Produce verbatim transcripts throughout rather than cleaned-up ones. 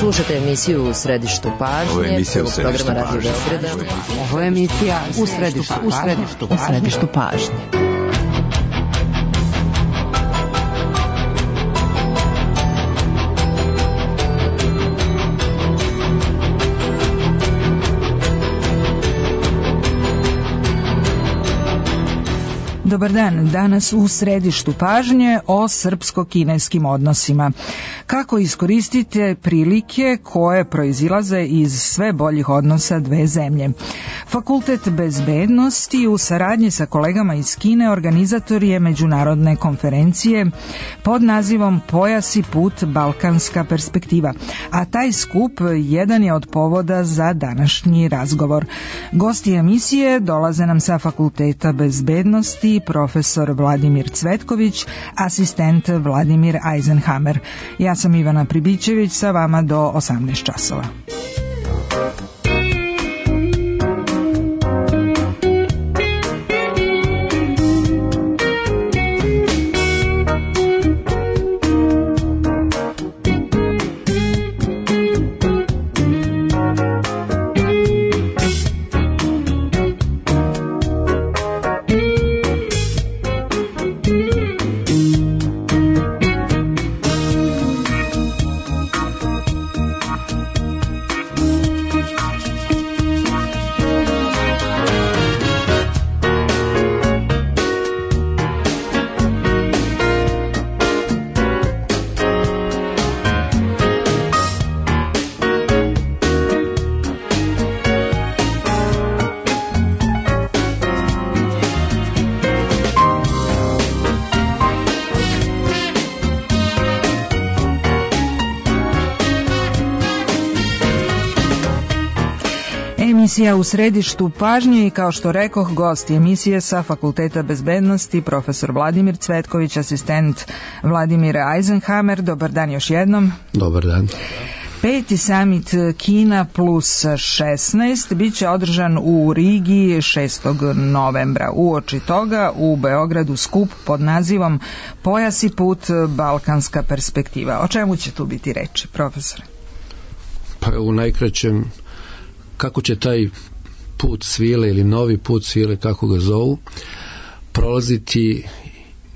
Slušajte emisiju U središtu pažnje. Ovo je emisija U središtu pažnje. Ovo je emisija U središtu pažnje. U središtu pažnje. Dobar dan, danas u središtu pažnje o srpsko-kineskim odnosima. Kako iskoristite prilike koje proizilaze iz sve boljih odnosa dve zemlje? Fakultet bezbednosti u saradnji sa kolegama iz Kine organizator je međunarodne konferencije pod nazivom Pojas i put, balkanska perspektiva, a taj skup jedan je od povoda za današnji razgovor. Gosti emisije dolaze nam sa Fakulteta bezbednosti profesor Vladimir Cvetković, asistent Vladimir Eisenhammer. Ja sam Ivana Pribićević, sa vama do osamnaest časova. Emisija U središtu pažnje i kao što rekoh, gost emisije sa Fakulteta bezbednosti profesor Vladimir Cvetković, asistent Vladimir Eisenhammer. Dobar dan još jednom. Dobar dan. Peti samit Kina plus šesnaest bit će održan u Rigi šestog novembra. Uoči toga u Beogradu skup pod nazivom Pojas i put, balkanska perspektiva. O čemu će tu biti reči, profesore? Pa u najkraćem, kako će taj put svile ili novi put svile, kako ga zovu, prolaziti,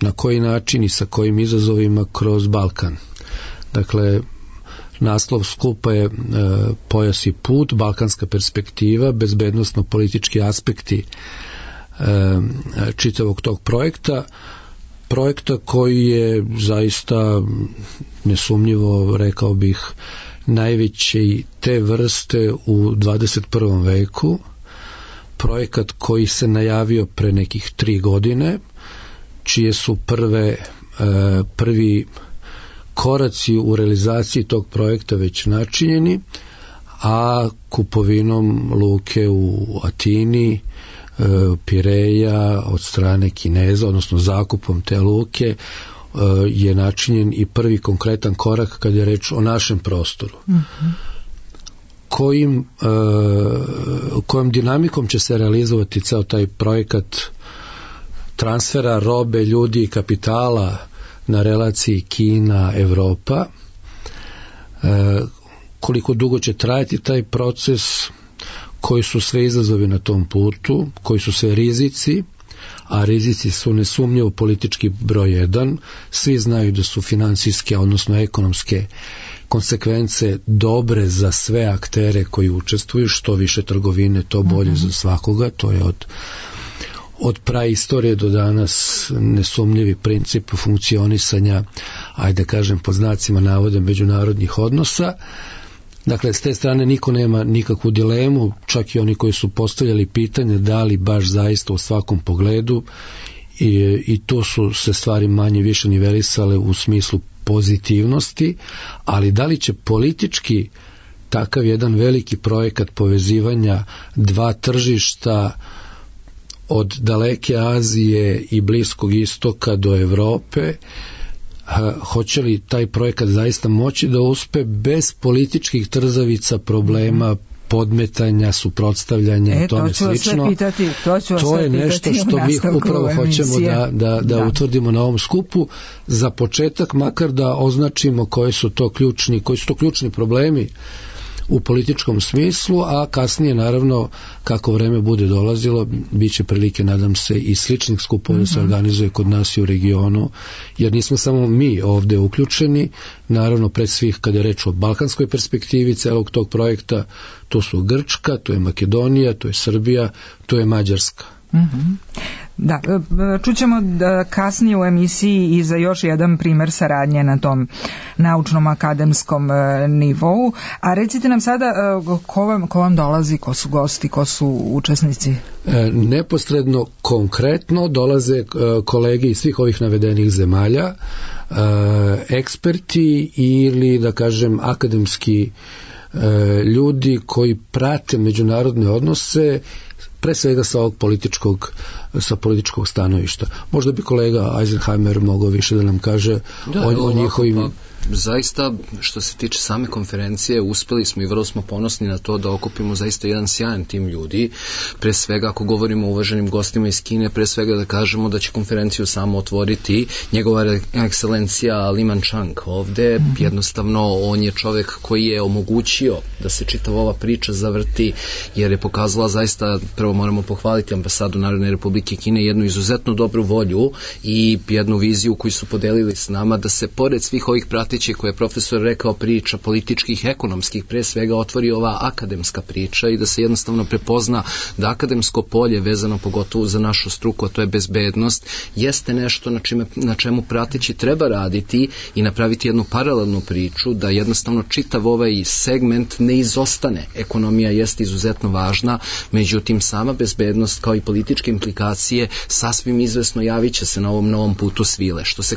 na koji način i sa kojim izazovima kroz Balkan. Dakle, naslov skupa je e, Pojas i put, balkanska perspektiva, bezbednosno-politički aspekti e, čitavog tog projekta. Projekta koji je zaista nesumnjivo, rekao bih, najveći te vrste u dvadeset prvom veku, projekat koji se najavio pre nekih tri godine, čije su prve, e, prvi koraci u realizaciji tog projekta već načinjeni, a kupovinom luke u Atini, e, Pireja od strane Kineza, odnosno zakupom te luke, je načinjen i prvi konkretan korak kad je reč o našem prostoru. Uh-huh. Kojim, uh, kojom dinamikom će se realizovati ceo taj projekat transfera robe, ljudi i kapitala na relaciji Kina-Evropa, uh, koliko dugo će trajati taj proces, koji su sve izazovi na tom putu, koji su sve rizici, a rizici su nesumnjivo politički broj jedan. Svi znaju da su finansijske, odnosno ekonomske konsekvence dobre za sve aktere koji učestvuju, što više trgovine, to bolje mm-hmm. za svakoga. To je od, od praistorije do danas nesumnjivi princip funkcionisanja, ajde kažem pod znacima navoda, međunarodnih odnosa. Dakle, s te strane niko nema nikakvu dilemu, čak i oni koji su postavljali pitanje da li baš zaista u svakom pogledu, i, i to su se stvari manje više nivelisale u smislu pozitivnosti, ali da li će politički takav jedan veliki projekat povezivanja dva tržišta od daleke Azije i Bliskog istoka do Evrope, hoće li taj projekat zaista moći da uspe bez političkih trzavica, problema, podmetanja, suprotstavljanja e, i tome slično. To ću vas pitati, to ću vas to je nešto što mi upravo hoćemo da, da, da, da utvrdimo na ovom skupu. Za početak makar da označimo koji su to ključni, koji su to ključni problemi u političkom smislu, a kasnije naravno kako vreme bude dolazilo bit će prilike, nadam se, i sličnih skupova da se organizuje kod nas i u regionu, jer nismo samo mi ovde uključeni, naravno pred svih kada je reč o balkanskoj perspektivi celog tog projekta, to su Grčka, to je Makedonija, to je Srbija, to je Mađarska. Mhm. Da, čućemo da kasnije u emisiji i za još jedan primer saradnje na tom naučnom akademskom nivou, a recite nam sada ko vam, ko vam dolazi, ko su gosti, ko su učesnici? Neposredno, konkretno dolaze kolege iz svih ovih navedenih zemalja, eksperti ili da kažem akademski ljudi koji prate međunarodne odnose pre svega sa ovog političkog sa političkog stanovišta. Možda bi kolega Eisenheimer mogao više da nam kaže da, o, o njihovim... Pa, zaista, što se tiče same konferencije, uspeli smo i vrlo smo ponosni na to da okupimo zaista jedan sjajan tim ljudi. Pre svega, ako govorimo o uvaženim gostima iz Kine, pre svega da kažemo da će konferenciju samo otvoriti njegova ekscelencija Li Manchang ovde. Mm-hmm. Jednostavno, on je čovek koji je omogućio da se čitava ova priča zavrti, jer je pokazala zaista, prvo moramo pohvaliti ambasadu Narodne Republike Kine, jednu izuzetno dobru volju i jednu viziju koju su podelili s nama, da se pored svih ovih prati koje je profesor rekao priča političkih, ekonomskih, pre svega otvori ova akademska priča i da se jednostavno prepozna da akademsko polje vezano pogotovo za našu struku, a to je bezbednost, jeste nešto na, čime, na čemu prateći treba raditi i napraviti jednu paralelnu priču, da jednostavno čitav ovaj segment ne izostane. Ekonomija jeste izuzetno važna, međutim sama bezbednost kao i političke implikacije sasvim izvesno javit će se na ovom novom putu svile. Što se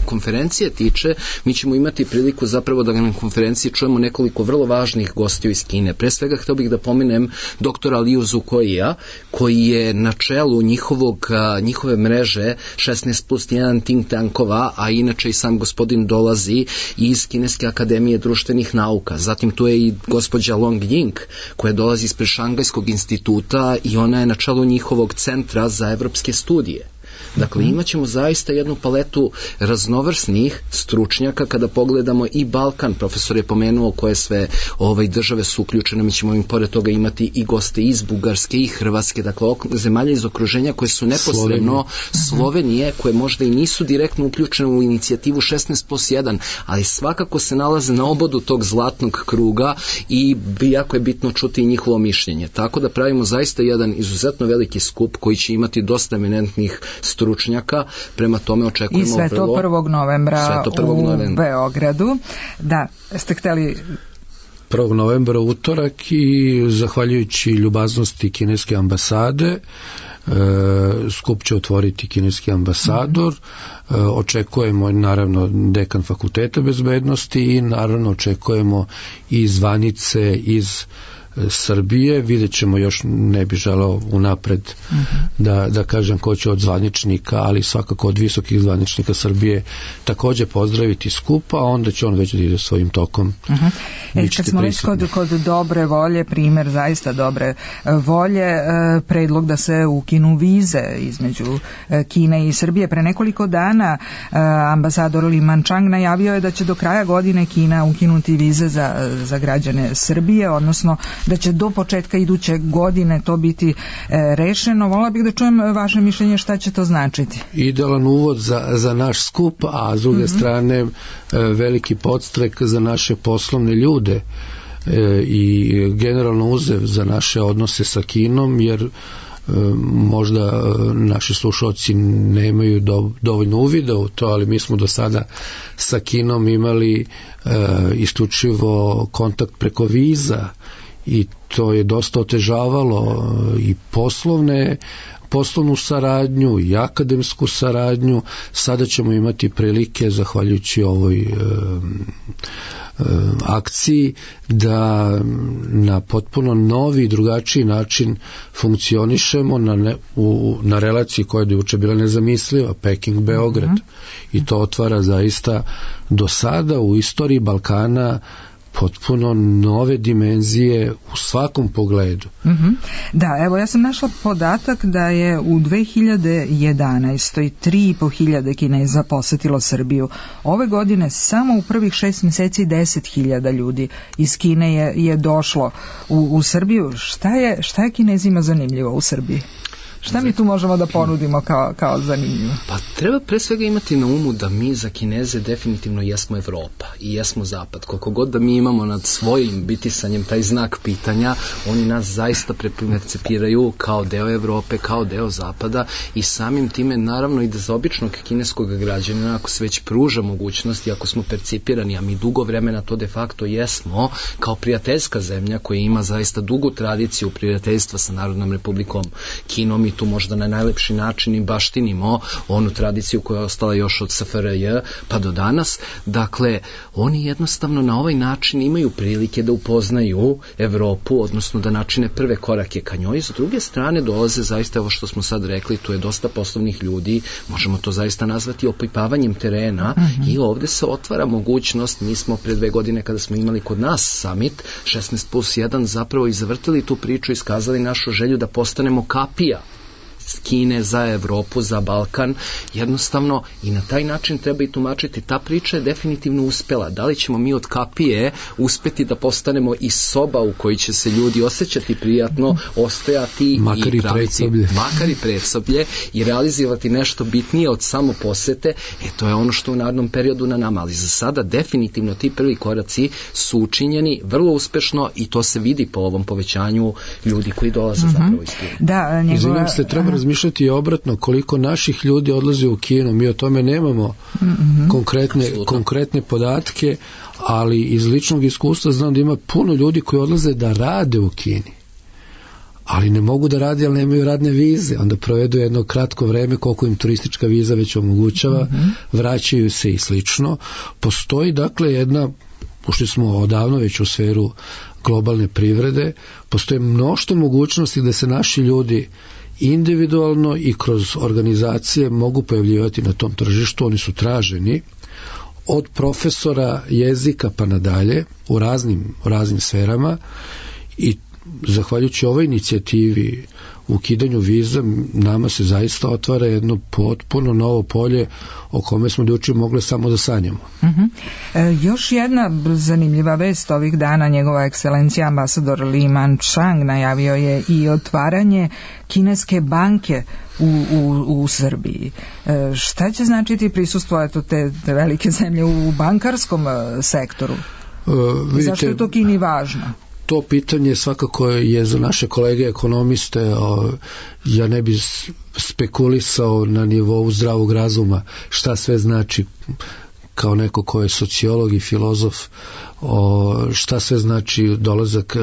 konferencije tiče, mi ćemo imati priliku zapravo da na konferenciji čujemo nekoliko vrlo važnih gostiju iz Kine. Pre svega htio bih da pomenem doktora Liu Zukoija, koji je na čelu njihovog, njihove mreže šesnaest plus jedan think tankova, a inače i sam gospodin dolazi iz Kineske akademije društvenih nauka. Zatim tu je i gospođa Long Ying, koja dolazi ispred Šangajskog instituta i ona je na čelu njihovog centra za evropske studije. Dakle, imat ćemo zaista jednu paletu raznovrsnih stručnjaka kada pogledamo i Balkan. Profesor je pomenuo koje sve ovaj, države su uključene. Mi ćemo im pored toga imati i goste iz Bugarske i Hrvatske. Dakle, zemalja iz okruženja koje su neposredno Slovenije, Slovenije koje možda i nisu direktno uključene u inicijativu šesnaest plus jedan, ali svakako se nalaze na obodu tog zlatnog kruga i jako je bitno čuti i njihovo mišljenje. Tako da pravimo zaista jedan izuzetno veliki skup koji će imati dosta eminentnih stručnjaka, prema tome očekujemo i sve to vrlo... prvog novembra to prvog u novembra. Beogradu. Da, ste hteli... prvog novembra utorak i zahvaljujući ljubaznosti kineske ambasade e, skup će otvoriti kineski ambasador, e, očekujemo naravno dekan fakulteta bezbednosti i naravno očekujemo i zvanice iz Srbije, vidjet ćemo, još ne bi želeo unapred uh-huh. da, da kažem ko će od zvaničnika, ali svakako od visokih zvaničnika Srbije takođe pozdraviti skup, a onda će on već da ide svojim tokom. Uh-huh. E, kad smo već kod, kod dobre volje, primer zaista dobre volje, predlog da se ukinu vize između Kine i Srbije. Pre nekoliko dana ambasador Li Manchang najavio je da će do kraja godine Kina ukinuti vize za, za građane Srbije, odnosno da će do početka iduće godine to biti e, rešeno. Volila bih da čujem vaše mišljenje šta će to značiti. Idealan uvod za, za naš skup, a s druge mm-hmm. strane e, veliki podstrek za naše poslovne ljude e, i generalno uzev za naše odnose sa Kinom, jer možda naši slušalci nemaju do, dovoljno uvida u to, ali mi smo do sada sa Kinom imali e, isključivo kontakt preko viza i to je dosta otežavalo i poslovne poslovnu saradnju i akademsku saradnju. Sada ćemo imati prilike, zahvaljujući ovoj e, e, akciji, da na potpuno novi i drugačiji način funkcionišemo na, ne, u, na relaciji koja je juče bila nezamisliva, Peking-Beograd. Mm-hmm. I to otvara zaista do sada u istoriji Balkana potpuno nove dimenzije u svakom pogledu. Mm-hmm. Da, evo ja sam našla podatak da je u dve hiljade jedanaestoj tri i po hiljade Kineza posetilo Srbiju. Ove godine samo u prvih šest mjeseci deset hiljada ljudi iz Kine je, je došlo u, u Srbiju. Šta je, šta je Kinezima zanimljivo u Srbiji? Šta mi tu možemo da ponudimo kao, kao zanimljivo? Pa treba pre svega imati na umu da mi za Kineze definitivno jesmo Evropa i jesmo Zapad. Koliko god da mi imamo nad svojim bitisanjem taj znak pitanja, oni nas zaista percepiraju kao deo Evrope, kao deo Zapada i samim time naravno i da za običnog kineskog građanina, ako se već pruža mogućnost i ako smo percipirani, a mi dugo vremena to de facto jesmo, kao prijateljska zemlja koja ima zaista dugu tradiciju prijateljstva sa Narodnom Republikom Kinom i tu možda na najlepši način i baštinimo onu tradiciju koja je ostala još od S F R J pa do danas. Dakle, oni jednostavno na ovaj način imaju prilike da upoznaju Evropu, odnosno da načine prve korake ka njoj. S druge strane dolaze zaista ovo što smo sad rekli, tu je dosta poslovnih ljudi, možemo to zaista nazvati opipavanjem terena mm-hmm. i ovde se otvara mogućnost. Mi smo pre dve godine kada smo imali kod nas summit šesnaest plus jedan zapravo i zavrtili tu priču i iskazali našu želju da postanemo kapija Kine za Evropu, za Balkan, jednostavno i na taj način treba i tumačiti. Ta priča je definitivno uspela. Da li ćemo mi od kapije uspeti da postanemo i soba u kojoj će se ljudi osjećati prijatno, ostajati makar i predsoblje. Makar i predsoblje i realizovati nešto bitnije od samo posete, e to je ono što u narednom periodu na nama, ali za sada definitivno ti prvi koraci su učinjeni vrlo uspešno i to se vidi po ovom povećanju ljudi koji dolaze mm-hmm. zapravo iz Kine. Da, njegova... Izvinim se, treba razmišljati obratno koliko naših ljudi odlazi u Kinu. Mi o tome nemamo mm-hmm. konkretne, konkretne podatke, ali iz ličnog iskustva znam da ima puno ljudi koji odlaze da rade u Kini. Ali ne mogu da rade, ali nemaju radne vize. Onda provedu jedno kratko vreme koliko im turistička viza već omogućava, mm-hmm. vraćaju se i slično. Postoji dakle jedna, ušli smo odavno već u sferu globalne privrede, postoje mnoštvo mogućnosti da se naši ljudi individualno i kroz organizacije mogu pojavljivati na tom tržištu. Oni su traženi od profesora jezika pa nadalje u raznim, u raznim sferama i zahvaljujući ovoj inicijativi u ukidanju viza nama se zaista otvara jedno potpuno novo polje o kome smo juče mogli samo da sanjamo. Uh-huh. E, još jedna zanimljiva vest ovih dana, njegova ekscelencija ambasador Li Man-chang najavio je i otvaranje kineske banke u, u, u Srbiji. E, šta će značiti prisustvo eto, te, te velike zemlje u bankarskom sektoru? E, vidite, zašto je to Kini važno? To pitanje svakako je za naše kolege ekonomiste, ja ne bi spekulisao na nivou zdravog razuma šta sve znači kao neko ko je sociolog i filozof, šta sve znači dolazak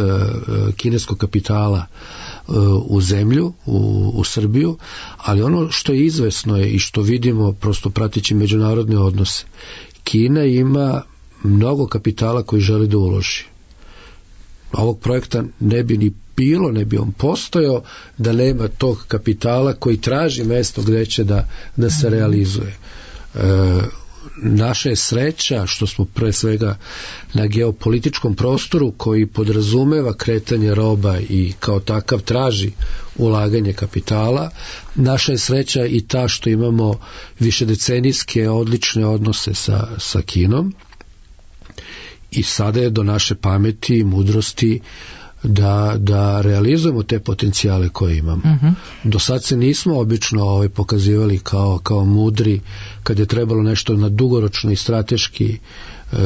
kineskog kapitala u zemlju, u, u Srbiju, ali ono što je izvesno je i što vidimo prosto pratići međunarodne odnose, Kina ima mnogo kapitala koji želi da uloži. Ovog projekta ne bi ni bilo, ne bi on postojao da nema tog kapitala koji traži mesto gde će da, da se realizuje. E, naša je sreća što smo pre svega na geopolitičkom prostoru koji podrazumeva kretanje roba i kao takav traži ulaganje kapitala. Naša je sreća i ta što imamo višedecenijske odlične odnose sa, sa Kinom. I sada je do naše pameti i mudrosti da, da realizujemo te potencijale koje imamo. Uh-huh. Do sad se nismo obično ovaj, pokazivali kao, kao mudri kad je trebalo nešto na dugoročno i strateški e,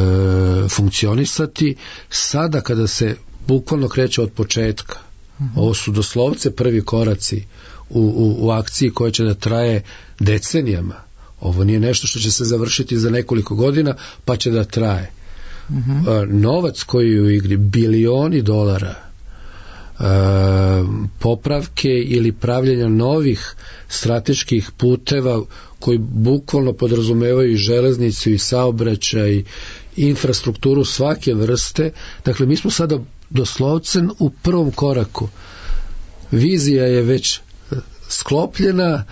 funkcionisati. Sada kada se bukvalno kreće od početka, uh-huh. ovo su doslovce prvi koraci u, u, u akciji koja će da traje decenijama. Ovo nije nešto što će se završiti za nekoliko godina pa će da traje. Uh-huh. Novac koji je u igri, bilioni dolara, e, popravke ili pravljenja novih strateških puteva koji bukvalno podrazumevaju i železnicu i saobraćaj i infrastrukturu svake vrste. Dakle, mi smo sada doslovce u prvom koraku. Vizija je već sklopljena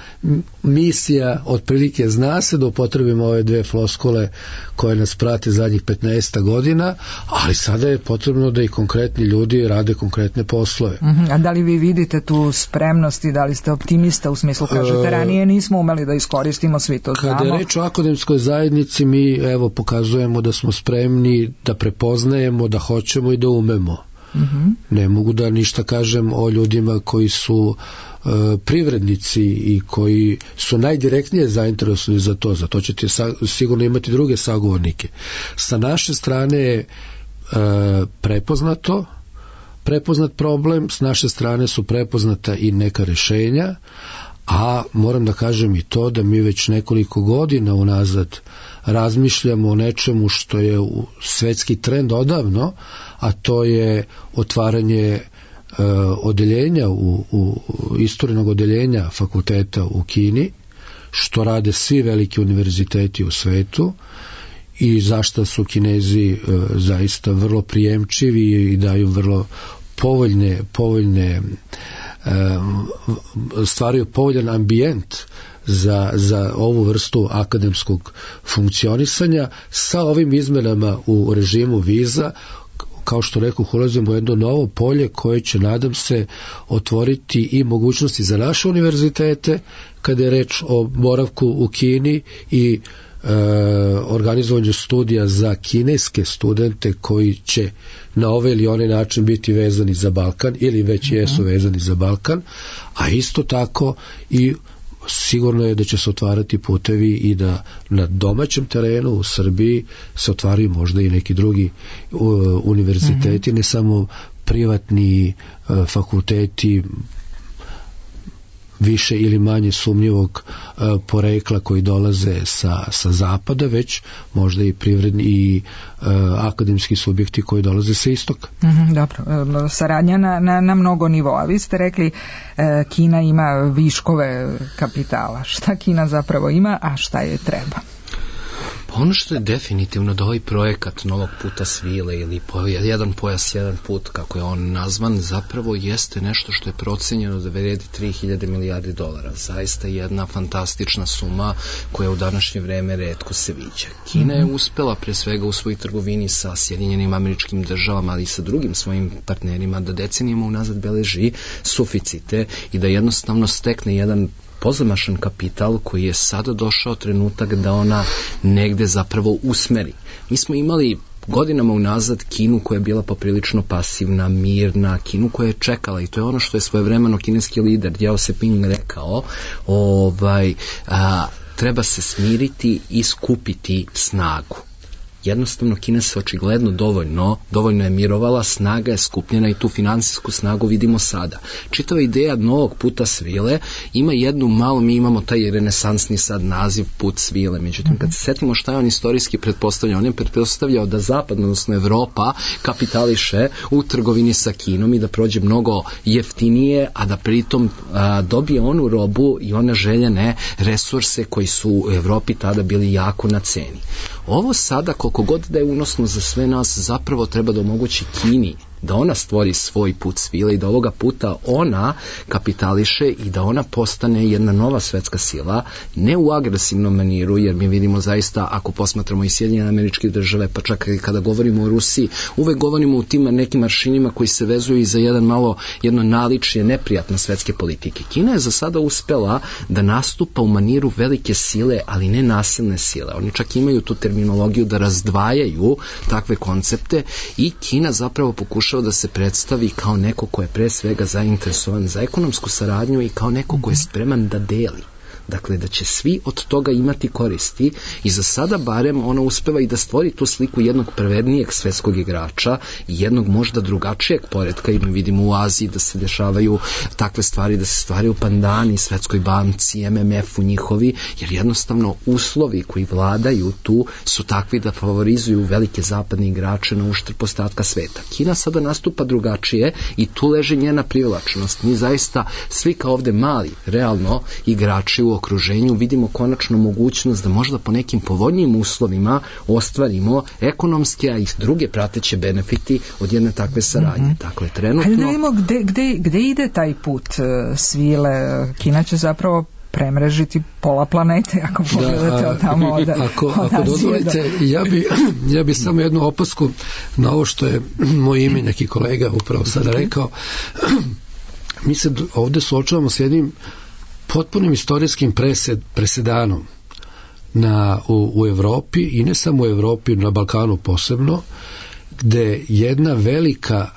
misija, otprilike zna se da upotrebimo ove dve floskule koje nas prate zadnjih petnaest godina, ali sada je potrebno da i konkretni ljudi rade konkretne poslove. Uh-huh. A da li vi vidite tu spremnost i da li ste optimista u smislu, kažete, ranije nismo umeli da iskoristimo, svi to znamo? Kada je reč o akademskoj zajednici, mi evo pokazujemo da smo spremni, da prepoznajemo, da hoćemo i da umemo. Uh-huh. Ne mogu da ništa kažem o ljudima koji su e, privrednici i koji su najdirektnije zainteresovani za to, za to ćete sa, sigurno imati druge sagovornike. Sa naše strane je e, prepoznato prepoznat problem, s naše strane su prepoznata i neka rešenja, a moram da kažem i to da mi već nekoliko godina unazad razmišljamo o nečemu što je svetski trend odavno, a to je otvaranje e, odeljenja u, u istorijnog odeljenja fakulteta u Kini, što rade svi veliki univerziteti u svetu i zašto su Kinezi e, zaista vrlo prijemčivi i daju vrlo povoljne povoljne stvaraju povoljan ambijent za, za ovu vrstu akademskog funkcionisanja. Sa ovim izmenama u režimu viza, kao što rekao, ulazimo u jedno novo polje koje će, nadam se, otvoriti i mogućnosti za naše univerzitete kada je reč o boravku u Kini i e, organizovanju studija za kineske studente koji će na ovaj ili onaj način biti vezani za Balkan ili već mm-hmm. jesu vezani za Balkan, a isto tako i sigurno je da će se otvarati putevi i da na domaćem terenu u Srbiji se otvaraju možda i neki drugi uh, univerziteti, mm-hmm. ne samo privatni uh, fakulteti više ili manje sumnjivog uh, porekla koji dolaze sa, sa zapada, već možda i privredni i uh, akademski subjekti koji dolaze sa istoka. Mm-hmm, dobro, saradnja na, na, na mnogo nivoa. Vi ste rekli uh, Kina ima viškove kapitala. Šta Kina zapravo ima, a šta je treba? Ono što je definitivno da ovaj projekat Novog puta svile ili po, jedan pojas, jedan put, kako je on nazvan, zapravo jeste nešto što je procenjeno da vredi tri hiljade milijardi dolara. Zaista jedna fantastična suma koja u današnje vreme retko se viđa. Kina je uspela pre svega u svojoj trgovini sa Sjedinjenim Američkim Državama, ali i sa drugim svojim partnerima da decenijama unazad beleži suficite i da jednostavno stekne jedan pozamašan kapital koji je sada došao trenutak da ona negde zapravo usmeri. Mi smo imali godinama unazad Kinu koja je bila poprilično pasivna, mirna, Kinu koja je čekala, i to je ono što je svojevremeno kineski lider Jao Seping rekao, ovaj, a, treba se smiriti i skupiti snagu. Jednostavno Kina se očigledno dovoljno, dovoljno je mirovala, snaga je skupljena i tu finansijsku snagu vidimo sada. Čitava ideja Novog puta svile ima jednu malo, mi imamo taj renesansni sad naziv put svile, međutim kad se setimo šta je on istorijski pretpostavljao, on je pretpostavljao da Zapad, odnosno Evropa, kapitališe u trgovini sa Kinom i da prođe mnogo jeftinije, a da pritom a, dobije onu robu i one željene resurse koji su u Evropi tada bili jako na ceni. Ovo sada, koliko god da je unosno za sve nas, zapravo treba da omogući Kini da ona stvori svoj put svile i da ovoga puta ona kapitališe i da ona postane jedna nova svetska sila, ne u agresivnom maniru, jer mi vidimo zaista, ako posmatramo i Sjedinjene Američke Države, pa čak i kada govorimo o Rusiji, uvek govorimo u tim nekim maršinima koji se vezuju i za jedan malo, jedno naličje neprijatne svetske politike. Kina je za sada uspela da nastupa u maniru velike sile, ali ne nasilne sile. Oni čak imaju tu terminologiju da razdvajaju takve koncepte i Kina zapravo pokušava da se predstavi kao neko ko je pre svega zainteresovan za ekonomsku saradnju i kao neko ko je spreman da deli. Dakle, da će svi od toga imati koristi i za sada barem ona uspeva i da stvori tu sliku jednog pravednijeg svetskog igrača i jednog možda drugačijeg poretka, i mi vidimo u Aziji da se dešavaju takve stvari, da se stvaraju pandani Svetskoj banci, M M F-u njihovi, jer jednostavno uslovi koji vladaju tu su takvi da favorizuju velike zapadne igrače na uštrb ostatka sveta. Kina sada nastupa drugačije i tu leži njena privlačnost. Mi zaista svi kao ovde mali, realno igrači u u okruženju vidimo konačno mogućnost da možda po nekim povoljnijim uslovima ostvarimo ekonomske, a i druge prateće benefiti od jedne takve saradnje. Mm-hmm. Dakle, trenutno... Hajde da vidimo gde, gde, gde ide taj put uh, svile. Kina će zapravo premrežiti pola planete, ako pogledate od tamo od, ako, od ako dozvolite, ja bi, ja bi samo jednu opasku na ovo što je moj ime neki kolega upravo sada rekao. Mi se ovde suočavamo s jednim potpunim istorijskim presed, presedanom na, u, u Evropi i ne samo u Evropi, na Balkanu posebno, gde jedna velika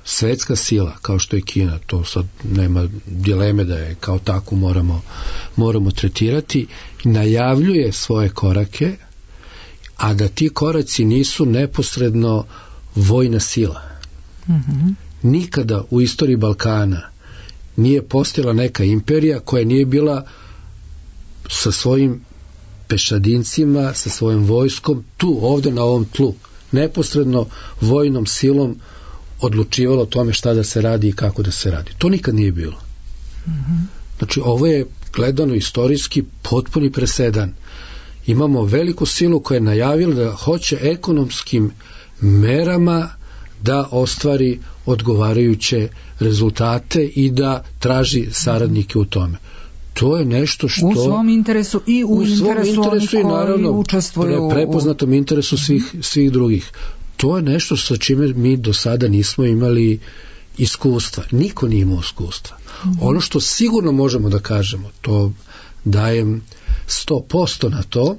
svetska sila, kao što je Kina, to sad nema dileme da je kao tako moramo, moramo tretirati, najavljuje svoje korake, a da ti koraci nisu neposredno vojna sila. Mm-hmm. Nikada u istoriji Balkana nije postojala neka imperija koja nije bila sa svojim pešadincima, sa svojim vojskom, tu, ovde na ovom tlu, neposredno vojnom silom odlučivalo o tome šta da se radi i kako da se radi. To nikad nije bilo. Mm-hmm. Znači, ovo je gledano istorijski potpuni presedan. Imamo veliku silu koja je najavila da hoće ekonomskim merama da ostvari odgovarajuće rezultate i da traži saradnike u tome. To je nešto što... U svom interesu i u, u interesu, interesu onih koji učestvuju... U prepoznatom interesu svih, svih drugih. To je nešto sa čime mi do sada nismo imali iskustva. Niko nije imao iskustva. Mm-hmm. Ono što sigurno možemo da kažemo, to dajem sto posto na to,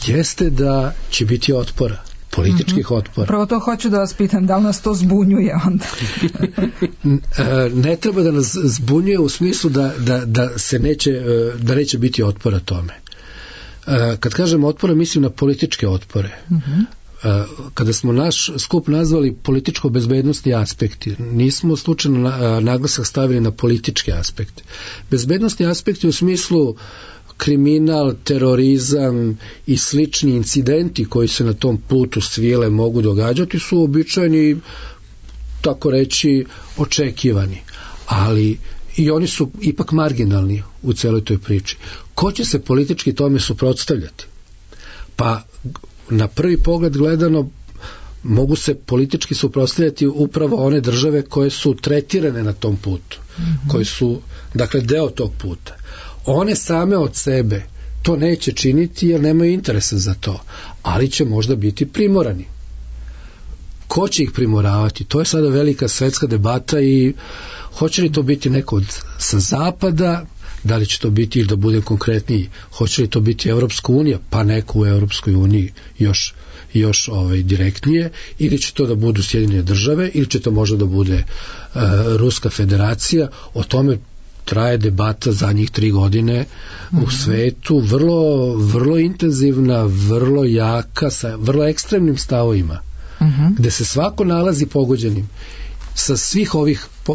jeste da će biti otpora, političkih mm-hmm. otpora. Prvo to hoću da vas pitam, da li nas to zbunjuje onda? Ne treba da nas zbunjuje u smislu da, da, da se neće, da neće biti otpora tome. Kad kažem otpora, mislim na političke otpore. Mm-hmm. Kada smo naš skup nazvali političko-bezbednostni aspekti, nismo slučajno naglasak stavili na političke aspekte. Bezbednostni aspekti u smislu kriminal, terorizam i slični incidenti koji se na tom putu svile mogu događati su uobičajeni, tako reći, očekivani. Ali i oni su ipak marginalni u celoj toj priči. Ko će se politički tome suprotstavljati? Pa na prvi pogled gledano mogu se politički suprotstavljati upravo one države koje su tretirane na tom putu, mm-hmm. koje su, dakle, deo tog puta. One same od sebe to neće činiti jer nemaju interesa za to, ali će možda biti primorani. Ko će ih primoravati? To je sada velika svetska debata i hoće li to biti neko od, sa zapada, da li će to biti, ili da budem konkretniji, hoće li to biti Evropska unija, pa neko u Evropskoj uniji još, još ovaj, direktnije, ili će to da budu Sjedinjene države, ili će to možda da bude uh, Ruska federacija. O tome traje debata zadnjih tri godine mm-hmm. u svetu, vrlo, vrlo intenzivna, vrlo jaka, sa vrlo ekstremnim stavovima, mm-hmm. gde se svako nalazi pogođenim sa svih ovih u,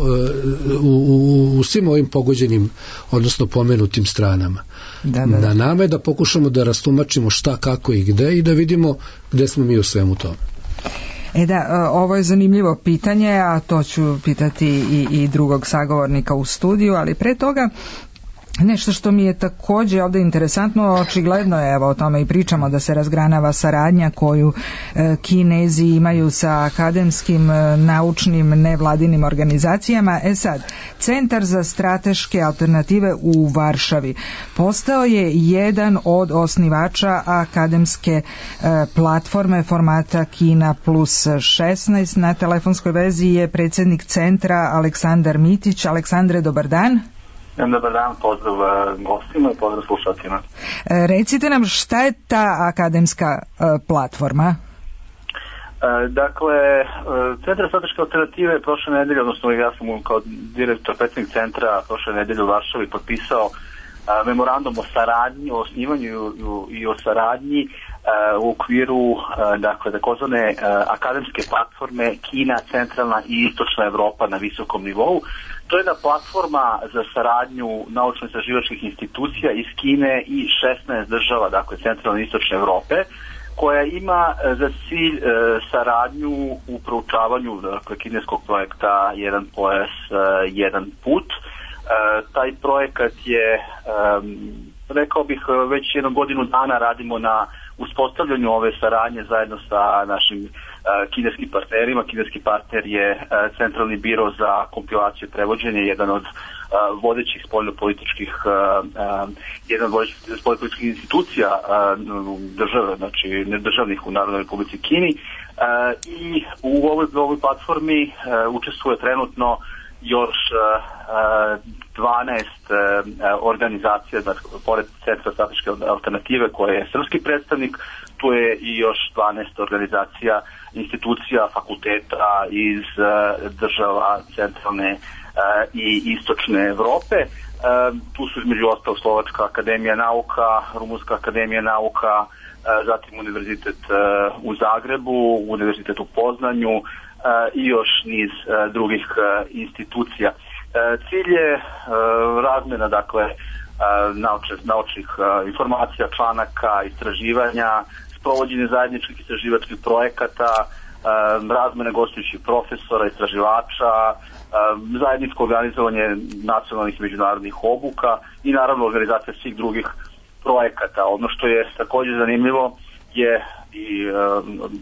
u, u svim ovim pogođenim, odnosno pomenutim stranama. Da, da, da. Na nama je da pokušamo da rastumačimo šta, kako i gde i da vidimo gde smo mi u svemu tome. E da, ovo je zanimljivo pitanje, a to ću pitati i, i drugog sagovornika u studiju, ali pre toga nešto što mi je također ovdje interesantno, očigledno je, evo o tome i pričamo, da se razgranava saradnja koju e, Kinezi imaju sa akademskim, e, naučnim, nevladinim organizacijama. E sad, Centar za strateške alternative u Varšavi postao je jedan od osnivača akademske e, platforme formata Kina plus šesnaest. Na telefonskoj vezi je predsjednik centra Aleksandar Mitić. Aleksandre, dobar dan. Dobar dan, pozdrav gostima i pozdrav slušateljima. Recite nam šta je ta akademska platforma? Dakle, Centar za strateške alternative prošle nedelje, odnosno ja sam kao direktor predsjednik centra prošle nedelje u Varšavi potpisao memorandum o saradnji, o osnivanju i o saradnji u okviru, dakle, takozvane akademske platforme Kina, centralna i istočna Evropa na visokom nivou. To je jedna platforma za saradnju naučno-istraživačkih institucija iz Kine i šesnaest država, dakle, centralne i istočne Evrope, koja ima za cilj e, saradnju u proučavanju, dakle, kineskog projekta Jedan pojas, e, jedan put, e, Taj projekat je, rekao bih, već jednu godinu dana radimo na uspostavljanju ove saradnje zajedno sa našim kineskim partnerima. Kineski partner je Centralni biro za kompilaciju i prevođenje, jedan od vodećih spoljnopolitičkih jedan od vodećih spoljnopolitičkih institucija države, znači nedržavnih u Narodnoj Republici Kini, i u ovoj, ovoj platformi učestvuje trenutno još dvanaest organizacija, dakle, pored Centra strateške alternative koje je srpski predstavnik, tu je i još dvanaest organizacija, institucija, fakulteta iz država centralne i istočne Evrope. Tu su između ostalo Slovačka akademija nauka, Rumunska akademija nauka, zatim Univerzitet u Zagrebu, Univerzitet u Poznanju i još niz drugih institucija. Cilj je razmjena, dakle, naučnih, naučnih informacija, članaka, istraživanja, sprovođenje zajedničkih istraživačkih projekata, razmjene gostujućih profesora, istraživača, zajedničko organizovanje nacionalnih i međunarodnih obuka i naravno organizacija svih drugih projekata. Ono što je također zanimljivo je i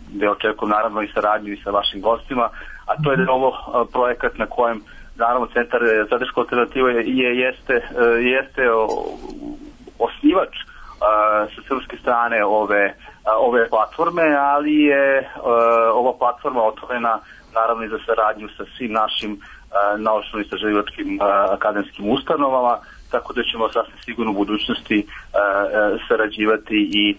da očekujem naravno i saradnju i sa vašim gostima, a to je da je ovo projekat na kojem naravno Centar strateške alternative je, jeste, jeste osnivač sa srpske strane ove, ove platforme, ali je ova platforma otvorena naravno i za saradnju sa svim našim naučno-istraživačkim akademskim ustanovama, tako da ćemo sasvim sigurno u budućnosti sarađivati i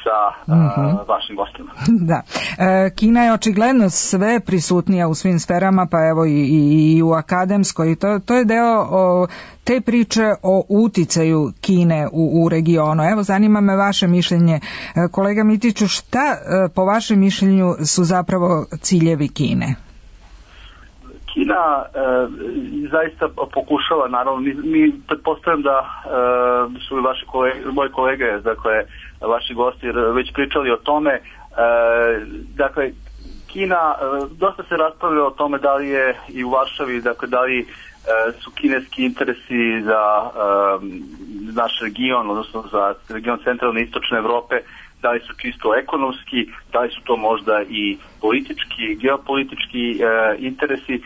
sa uh, vašim gostima. Da. E, Kina je očigledno sve prisutnija u svim sferama, pa evo i, i, i u akademskoj. To, to je deo o, te priče o uticaju Kine u, u regionu. Evo, zanima me vaše mišljenje. E, kolega Mitiću, šta e, po vašem mišljenju su zapravo ciljevi Kine? Kina e, zaista pokušava, naravno, mi, mi pretpostavljam da e, su i vaši kolege, moji kolege, dakle, vaši gosti već pričali o tome. E, dakle, Kina, e, dosta se raspravlja o tome da li je i u Varšavi, dakle, da li e, su kineski interesi za e, naš region, odnosno za region centralne i istočne Evrope, da li su čisto ekonomski, da li su to možda i politički, geopolitički e, interesi. E,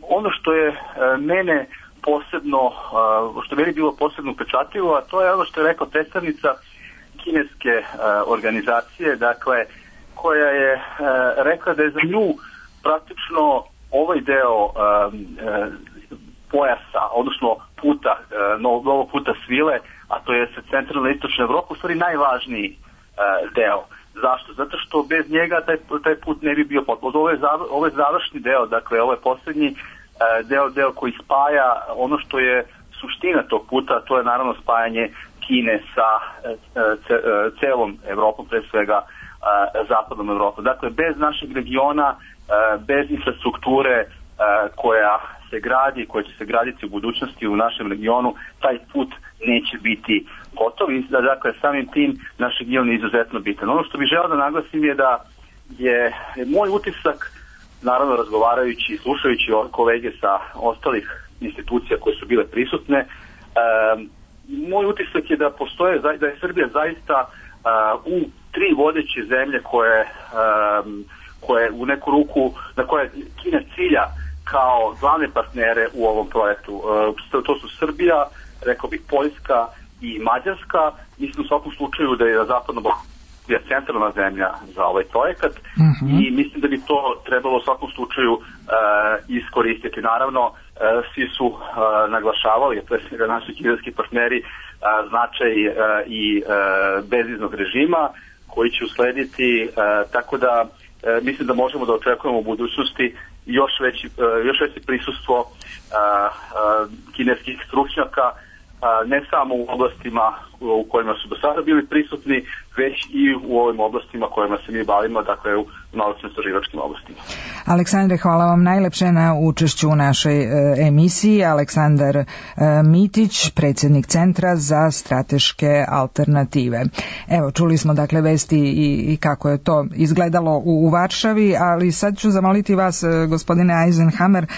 ono što je e, mene posebno, e, što je meni bilo posebno upečatljivo, a to je ono što je rekao predstavnica kineske e, organizacije, dakle, koja je e, rekla da je za nju praktično ovaj deo e, e, pojasa, odnosno puta, e, novog puta svile, a to je sa centralne i istočne Evrope, u stvari najvažniji deo. Zašto? Zato što bez njega taj, taj put ne bi bio potpuno. Ovo je, zav, ovo je završni deo, dakle ovo je posljednji deo, deo koji spaja ono što je suština tog puta, to je naravno spajanje Kine sa ce, celom Evropom, pre svega zapadnom Evropom. Dakle, bez našeg regiona, bez infrastrukture koja se gradi, koja će se graditi u budućnosti u našem regionu, taj put neće biti gotov i da, dakle, samim tim naš region je izuzetno bitan. Ono što bih želeo da naglasim je da je moj utisak, naravno razgovarajući i slušajući kolege sa ostalih institucija koje su bile prisutne, e, moj utisak je da postoje, da je Srbija zaista a, u tri vodeće zemlje koje, a, koje u neku ruku, na koje Kina cilja kao glavne partnere u ovom projektu. A, to su Srbija, rekao bih Poljska i Mađarska. Mislim u svakom slučaju da je zapadno je centralna zemlja za ovaj projekat mm-hmm. i mislim da bi to trebalo u svakom slučaju uh, iskoristiti. Naravno, uh, svi su uh, naglašavali, pre svega naši kineski partneri, uh, značaj uh, i uh, bezviznog režima koji će uslediti, uh, tako da uh, mislim da možemo da očekujemo u budućnosti još veći, uh, još veće prisustvo uh, uh, kineskih stručnjaka, ne samo u oblastima u kojima su do sada bili prisutni, već i u ovim oblastima kojima se mi bavimo, dakle u naučno-istraživačkim oblastima. Aleksandre, hvala vam najlepše na učešću u našoj e, emisiji. Aleksandar e, Mitić, predsjednik Centra za strateške alternative. Evo, čuli smo dakle vesti i, i kako je to izgledalo u, u Varšavi, ali sad ću zamoliti vas, e, gospodine Eisenhammer, e,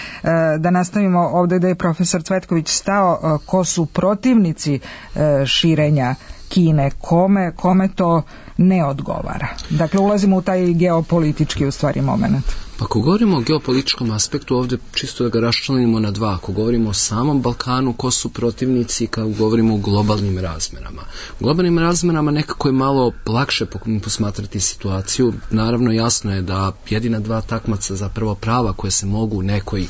da nastavimo ovdje da je profesor Cvetković stao, e, ko su protivnici e, širenja Kine, kome, kome to ne odgovara. Dakle, ulazimo u taj geopolitički u stvari moment. Pa ako govorimo o geopolitičkom aspektu, ovdje čisto da ga raščlanimo na dva. Ako govorimo o samom Balkanu, ko su protivnici, kao govorimo o globalnim razmerama. U globalnim razmerama nekako je malo lakše posmatrati situaciju. Naravno, jasno je da jedina dva takmaca zapravo prava koje se mogu u nekoj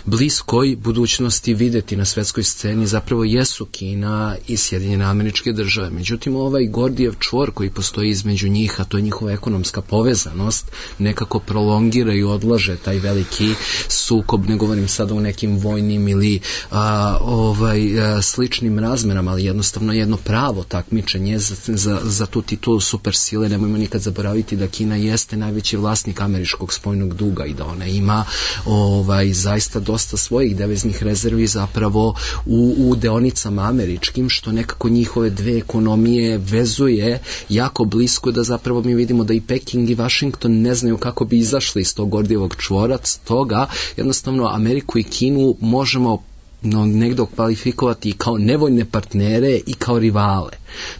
bliskoj budućnosti vidjeti na svetskoj sceni zapravo jesu Kina i Sjedinjene Američke Države. Međutim, ovaj Gordijev čvor koji postoji između njih, a to je njihova ekonomska povezanost, nekako prolongira i odlaže taj veliki sukob, ne govorim sada o nekim vojnim ili a, ovaj, a, sličnim razmerama, ali jednostavno jedno pravo takmičenje za, za, za tu titulu supersile. Nemojmo nikad zaboraviti da Kina jeste najveći vlasnik američkog spoljnog duga i da ona ima ovaj, zaista dosta svojih deviznih rezervi zapravo u, u deonicama američkim, što nekako njihove dve ekonomije vezuje jako blisko, da zapravo mi vidimo da i Peking i Washington ne znaju kako bi izašli iz tog Gordijevog čvora. Stoga jednostavno Ameriku i Kinu možemo no, negdje kvalifikovati kao nevoljne partnere i kao rivale.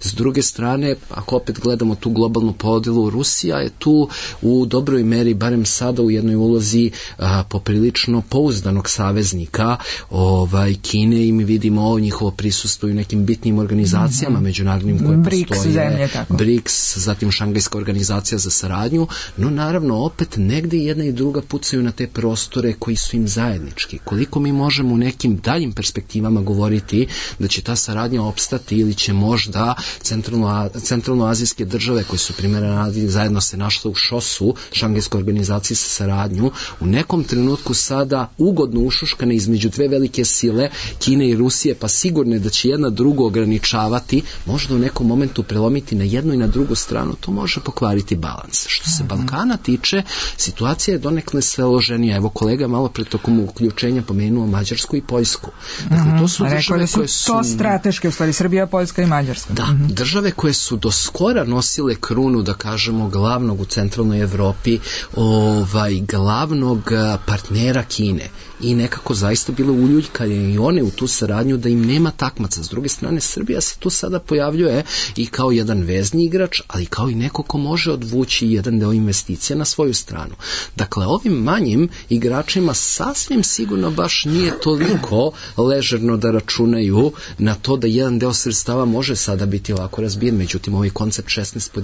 S druge strane, ako opet gledamo tu globalnu podjelu, Rusija je tu u dobroj meri, barem sada u jednoj ulozi a, poprilično pouzdanog saveznika ovaj, Kine, i mi vidimo njihovo prisustvo u nekim bitnim organizacijama mm-hmm. međunarodnim koje Briks, postoje. Zemlje, tako. Briks, zatim Šangajska organizacija za saradnju, no naravno opet negdje jedna i druga pucaju na te prostore koji su im zajednički. Koliko mi možemo u nekim daljim perspektivama govoriti da će ta saradnja opstati ili će možda centralno, centralnoazijske države koje su primjera zajedno se našle u šosu Šangajske organizacije za saradnju u nekom trenutku sada ugodno ušuškane između dve velike sile Kine i Rusije, pa sigurno je da će jedna drugu ograničavati, možda u nekom momentu prelomiti na jednu i na drugu stranu, to može pokvariti balans. Što se Balkana tiče, situacija je donekle složenija. Evo kolega malo pre tokom uključenja pomenuo Mađarsku i Poljsku. Dakle, to su države koje su... To strateške, u stvari, Srbija, Poljska i Mađarska. Da, mm-hmm. države koje su do skora nosile krunu, da kažemo, glavnog u centralnoj Evropi, ovaj, glavnog partnera Kine. I nekako zaista bile uljuljkane i one u tu saradnju da im nema takmaca. S druge strane, Srbija se tu sada pojavljuje i kao jedan vezni igrač, ali kao i neko ko može odvući jedan deo investicija na svoju stranu. Dakle, ovim manjim igračima sasvim sigurno baš nije toliko ležerno da računaju na to da jedan deo sredstava može sada biti ovako razbijen. Međutim, ovaj koncept šesnaest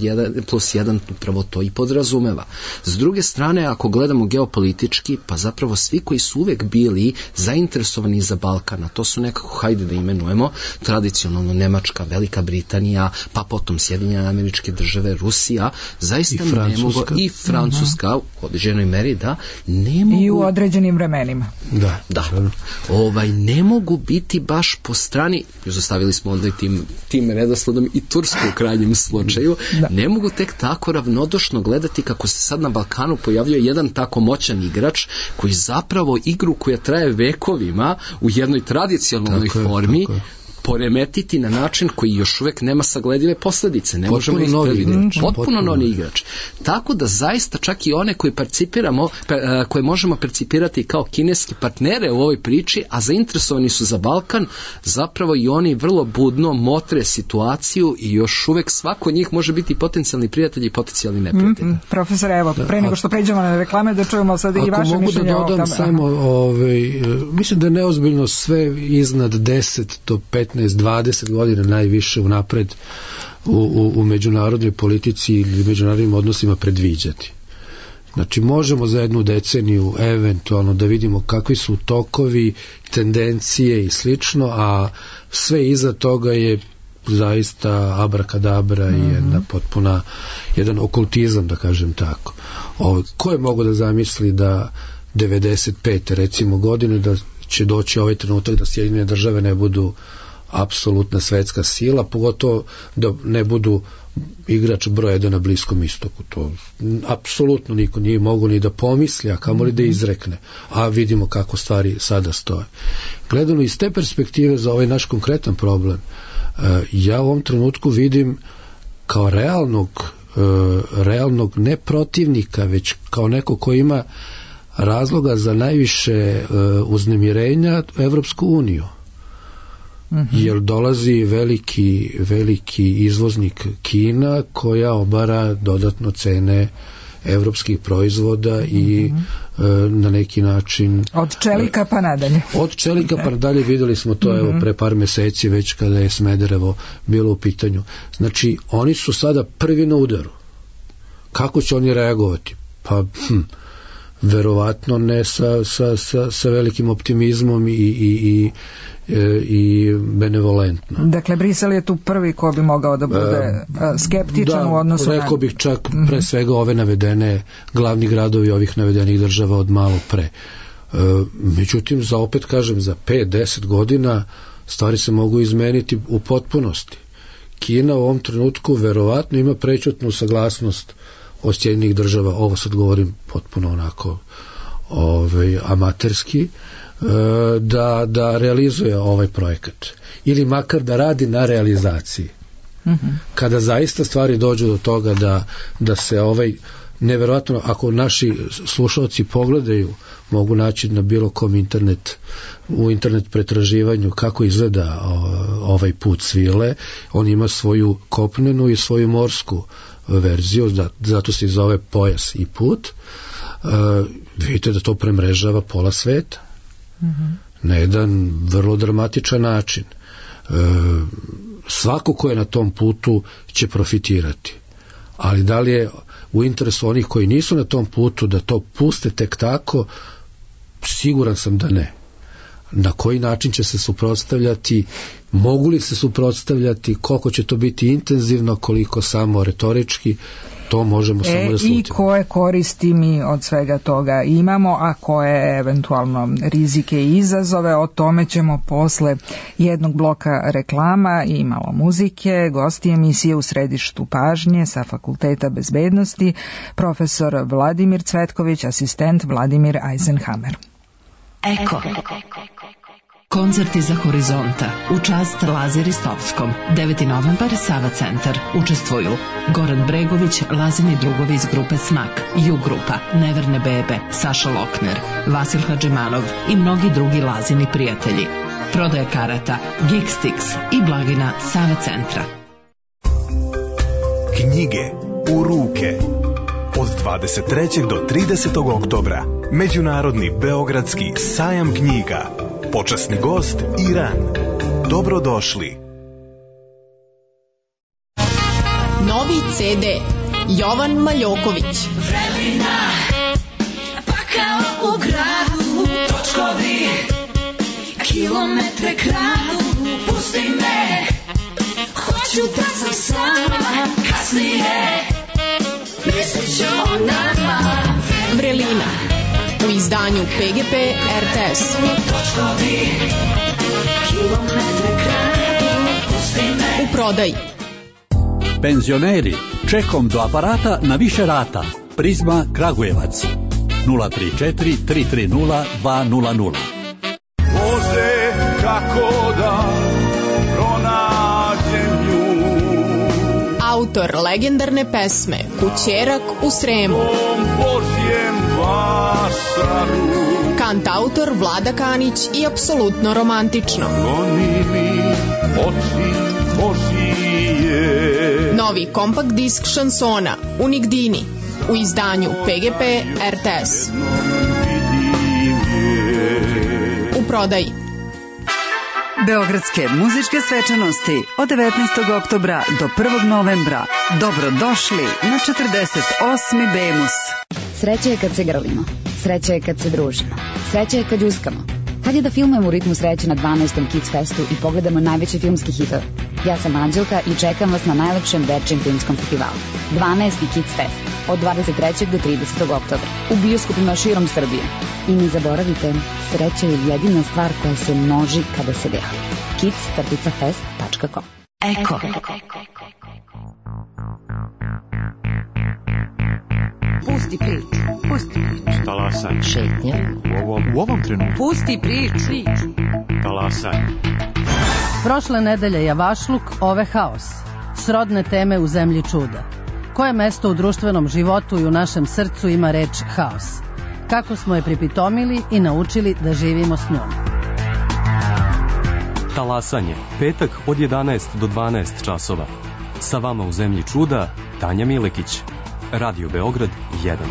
plus jedan upravo to i podrazumeva. S druge strane, ako gledamo geopolitički, pa zapravo svi koji su uvek bili zainteresovani za Balkan, a to su nekako, hajde da imenujemo, tradicionalno Nemačka, Velika Britanija, pa potom Sjedinjene Američke Države, Rusija, zaista I ne mogu, i Francuska uh-huh. u određenoj meri, da, ne mogu... I u određenim vremenima. Da, da. Ovaj, ne mogu biti baš po strani, izostavili smo onda i tim, tim redosledom i Tursku u krajnjem slučaju, da. Ne mogu tek tako ravnodušno gledati kako se sad na Balkanu pojavljuje jedan tako moćan igrač koji zapravo igru koja traje vekovima u jednoj tradicionalnoj tako formi je, poremetiti na način koji još uvijek nema sagledive posljedice. Ne potpuno možemo novi igrač. Potpuno, potpuno novi igrač. Tako da zaista čak i one koje percipiramo, koje možemo percipirati kao kineski partnere u ovoj priči, a zainteresovani su za Balkan, zapravo i oni vrlo budno motre situaciju i još uvijek svako od njih može biti potencijalni prijatelj i potencijalni neprijatelj. Mm-hmm. Profesor, evo, da, pre nego što pređemo na reklame, da čujemo sad i vaše mišljenje. Ako mogu da dodam samo, ovaj, mislim da je neozbiljno sve iznad deset do petnaest dvadeset godina najviše unapred u, u, u međunarodnoj politici ili međunarodnim odnosima predviđati. Znači, možemo za jednu deceniju eventualno da vidimo kakvi su tokovi, tendencije i slično, a sve iza toga je zaista abrakadabra mm-hmm. i jedna potpuna, jedan okultizam, da kažem tako. O, ko je mogo da zamisli da devedeset pete recimo godine da će doći ovaj trenutak da Sjedinjene Države ne budu apsolutna svetska sila, pogotovo da ne budu igrač broj jedan na Bliskom istoku. To apsolutno niko nije mogo ni da pomisli, a kamoli da izrekne. A vidimo kako stvari sada stoje. Gledano iz te perspektive za ovaj naš konkretan problem, ja u ovom trenutku vidim kao realnog, realnog ne protivnika, već kao neko ko ima razloga za najviše uznemirenja Evropsku uniju. Mm-hmm. Jer dolazi veliki, veliki izvoznik Kina koja obara dodatno cene evropskih proizvoda i mm-hmm. e, na neki način od čelika pa nadalje od čelika pa nadalje videli smo to mm-hmm. evo pre par meseci već kada je Smederevo bilo u pitanju. Znači oni su sada prvi na udaru. Kako će oni reagovati? Pa hm, verovatno ne sa, sa, sa, sa velikim optimizmom i, i, i i benevolentno. Dakle, Brisel je tu prvi ko bi mogao da bude uh, skeptičan da, u odnosu na... Da, rekao bih čak mm-hmm. pre svega ove navedene glavni gradovi ovih navedenih država od malo pre. Uh, međutim, za opet kažem, za pet do deset godina stvari se mogu izmeniti u potpunosti. Kina u ovom trenutku verovatno ima prečutnu saglasnost od Sjedinjenih država, ovo sad govorim potpuno onako ovaj, amaterski, da, da realizuje ovaj projekat ili makar da radi na realizaciji. Mm-hmm. Kada zaista stvari dođu do toga da, da se ovaj neverovatno, ako naši slušalci pogledaju, mogu naći na bilo kom internet u internet pretraživanju kako izgleda ovaj put svile. On ima svoju kopnenu i svoju morsku verziju, zato se zove pojas i put. Uh, vidite da to premrežava pola sveta. Mm-hmm. Na jedan vrlo dramatičan način. E, svako ko je na tom putu će profitirati. Ali da li je u interesu onih koji nisu na tom putu da to puste tek tako, siguran sam da ne. Na koji način će se suprotstavljati, mogu li se suprotstavljati, koliko će to biti intenzivno, koliko samo retorički, to možemo e, samo da slutimo. I koje koristi mi od svega toga imamo, a koje eventualno rizike i izazove, o tome ćemo posle jednog bloka reklama i malo muzike. Gosti emisije u središtu pažnje sa Fakulteta bezbednosti, profesor Vladimir Cvetković, asistent Vladimir Eisenhammer. Eko. Koncert iza horizonta u čast Lazi Ristovskom. deveti novembar, Sava centar. Učestvuju Goran Bregović, Lazini drugovi iz grupe Snak, Ju grupa, Neverne bebe, Saša Lokner, Vasil Hadžimanov i mnogi drugi Lazini prijatelji. Prodaja karata Geekstix i blagina Sava centra. Knjige u ruke. Od dvadeset trećeg do tridesetog oktobra Međunarodni beogradski sajam knjiga. Počasni gost Iran. Dobrodošli. Novi ce de Jovan Maljoković. Vremena, pa kao u gradu, točkovi, kilometre kradu, pusti me, hoću da sam sama, kasnije, mislit ću o nama. Vrelina, u izdanju pe ge pe er te es. Točkovi, kilometre kradu, pusti me. U prodaji. Penzioneri, čekom do aparata na više rata. Prizma Kragujevac. nula tri četiri tri tri nula dva nula nula. Bože, kako da pronađem nju. Autor legendarne pesme Kućerak u Sremu. Kantautor Vlada Kanić i apsolutno romantično. Novi kompakt disk šansona Unigdini u izdanju pe ge pe er te es. U prodaji. Beogradske muzičke svečanosti od devetnaestog oktobra do prvog novembra. Dobrodošli na četrdeset osmi Bemus. Sreća je kad se grlimo, sreća je kad se družimo, sreća je kad uskamo, Kad je da filmujemo u ritmu sreće na dvanaestom Kids Festu i pogledamo najveće filmski hitove? Ja sam Anđelka i čekam vas na najlepšem dečijem filmskom festivalu. dvanaesti Kids Fest od dvadeset trećeg do tridesetog oktobra u bioskopima širom Srbije. I ne zaboravite, sreća je jedina stvar koja se množi kada se deli. kids fest tačka com. Eko. Pusti priču, pusti priču. Talasaj. Šetnja. U ovom, u ovom trenutku. Pusti priču. Talasaj. Prošle nedelje Javašluk, ove haos. Srodne teme u zemlji čuda. Koje mesto u društvenom životu i u našem srcu ima reč haos? Kako smo je pripitomili i naučili da živimo s njom? Talasanje. Petak od jedanaest do dvanaest časova. Sa vama u zemlji čuda Tanja Milekić. Radio Beograd jedan.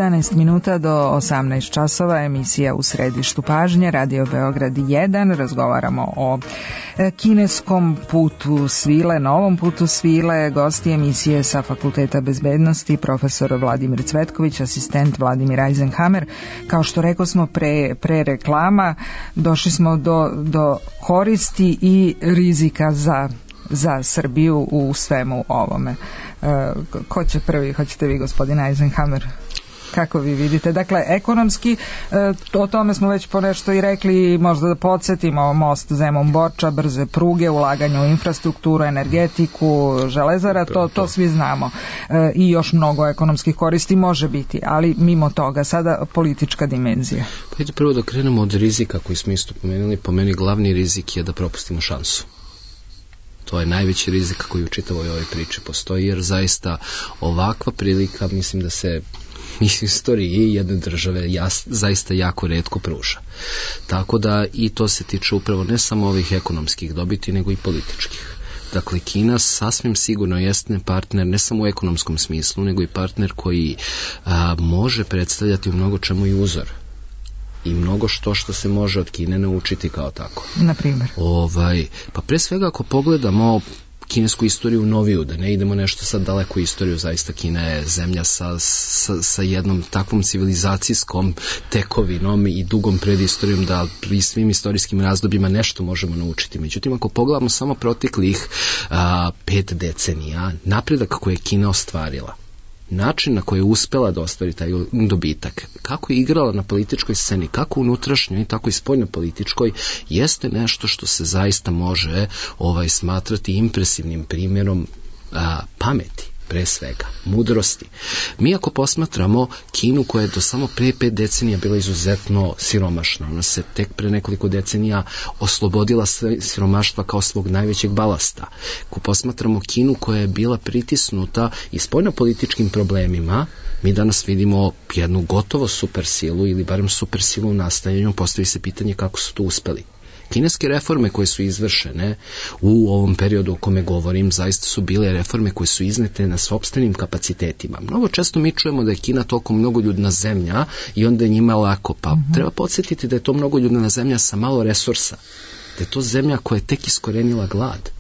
jedanaest minuta do osamnaest časova, emisija U središtu pažnje, Radio Beograd jedan. Razgovaramo o kineskom putu svile, novom putu svile. Gosti emisije sa Fakulteta bezbednosti, profesor Vladimir Cvetković, asistent Vladimir Eisenhammer. Kao što rekao smo pre, pre reklama, došli smo do, do koristi i rizika za za Srbiju u svemu ovome. E, ko će prvi? Hoćete vi, gospodine Eisenhammer? Kako vi vidite? Dakle, ekonomski, e, o tome smo već ponešto i rekli, možda da podsjetimo, most Zemun-Borča, brze pruge, ulaganje u infrastrukturu, energetiku, železara, to, to svi znamo. E, I još mnogo ekonomskih koristi može biti, ali mimo toga, sada politička dimenzija. Pa ide prvo da krenemo od rizika koji smo isto pomenuli. Po meni glavni rizik je da propustimo šansu. To je najveći rizik koji u čitavoj ovoj priči postoji, jer zaista ovakva prilika, mislim da se mislim, istoriji jedne države jas, zaista jako retko pruža. Tako da i to se tiče upravo ne samo ovih ekonomskih dobiti, nego i političkih. Dakle, Kina sasvim sigurno jeste partner ne samo u ekonomskom smislu, nego i partner koji a, može predstavljati u mnogo čemu i uzor. I mnogo što što se može od Kine naučiti kao tako. Na primjer? Ovaj, pa pre svega ako pogledamo kinesku istoriju noviju, da ne idemo nešto sad daleko istoriju, zaista Kina je zemlja sa, sa, sa jednom takvom civilizacijskom tekovinom i dugom predistorijom da pri svim istorijskim razdobljima nešto možemo naučiti. Međutim, ako pogledamo samo proteklih a, pet decenija, napredak koji je Kina ostvarila, način na koji je uspela da ostvari taj dobitak, kako je igrala na političkoj sceni, kako unutrašnjoj, tako i spoljno političkoj, jeste nešto što se zaista može ovaj smatrati impresivnim primjerom a, pameti, pre svega, mudrosti. Mi ako posmatramo Kinu koja je do samo pre pet decenija bila izuzetno siromašna, ona se tek pre nekoliko decenija oslobodila siromaštva kao svog najvećeg balasta. Ako posmatramo Kinu koja je bila pritisnuta i spoljnopolitičkim problemima, mi danas vidimo jednu gotovo supersilu ili barem supersilu u nastajanju, postavi se pitanje kako su to uspeli. Kineske reforme koje su izvršene u ovom periodu o kome govorim zaista su bile reforme koje su iznete na sopstvenim kapacitetima. Mnogo često mi čujemo da je Kina toliko mnogoljudna zemlja i onda je njima lako, pa mm-hmm. treba podsjetiti da je to mnogoljudna zemlja sa malo resursa, da je to zemlja koja je tek iskorenila glad,